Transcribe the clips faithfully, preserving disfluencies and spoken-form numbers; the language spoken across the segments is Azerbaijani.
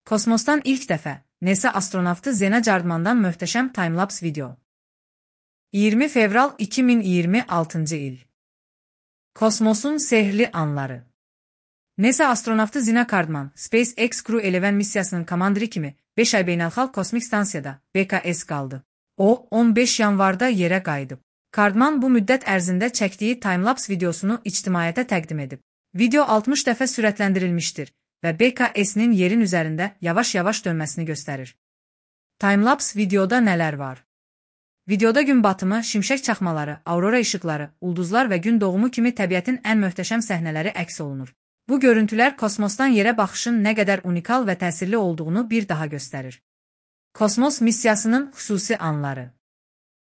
Kosmosdan ilk dəfə NASA astronavtı Zena Cardmandan möhtəşəm time-lapse video. iyirmi fevral iki min iyirmi altıncı il. Kosmosun sehrli anları. NASA astronavtı Zena Cardman, SpaceX Crew on missiyasının komandiri kimi beş ay beynəlxalq kosmik stansiyada B K S qaldı. O, on beş yanvarda yerə qayıdıb. Cardman bu müddət ərzində çəkdiyi time-lapse videosunu ictimaiyyətə təqdim edib. Video altmış dəfə sürətləndirilmişdir və B K S-nin yerin üzərində yavaş-yavaş dönməsini göstərir. Time-lapse videoda nələr var? Videoda gün batımı, şimşək çaxmaları, aurora işıqları, ulduzlar və gün doğumu kimi təbiətin ən möhtəşəm səhnələri əks olunur. Bu görüntülər kosmosdan yerə baxışın nə qədər unikal və təsirli olduğunu bir daha göstərir. Kosmos missiyasının xüsusi anları.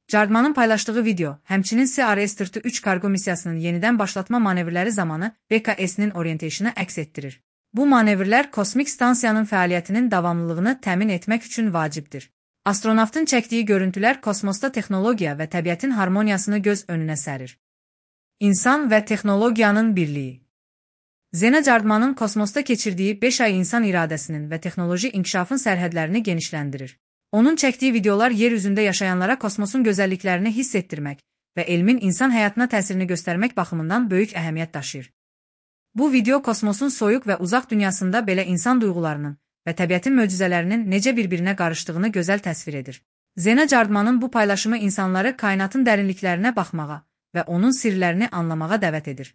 Cardmanın paylaşdığı video, həmçinin C R S dörd üç kargo missiyasının yenidən başlatma manevrləri zamanı B K S-nin orientasyonu əks etdirir. Bu manevrlər kosmik stansiyanın fəaliyyətinin davamlılığını təmin etmək üçün vacibdir. Astronavtın çəkdiyi görüntülər kosmosda texnologiya və təbiətin harmoniyasını göz önünə sərir. İnsan və texnologiyanın birliyi. Zena Cardmanın kosmosda keçirdiyi beş ay insan iradəsinin və texnoloji inkişafın sərhədlərini genişləndirir. Onun çəkdiyi videolar yer üzündə yaşayanlara kosmosun gözəlliklərini hiss etdirmək və elmin insan həyatına təsirini göstərmək baxımından böyük əhəmiyyət daşıyır. Bu video kosmosun soyuq və uzaq dünyasında belə insan duyğularının və təbiətin möcüzələrinin necə bir-birinə qarışdığını gözəl təsvir edir. Zena Cardmanın bu paylaşımı insanları kainatın dərinliklərinə baxmağa və onun sirlərini anlamağa dəvət edir.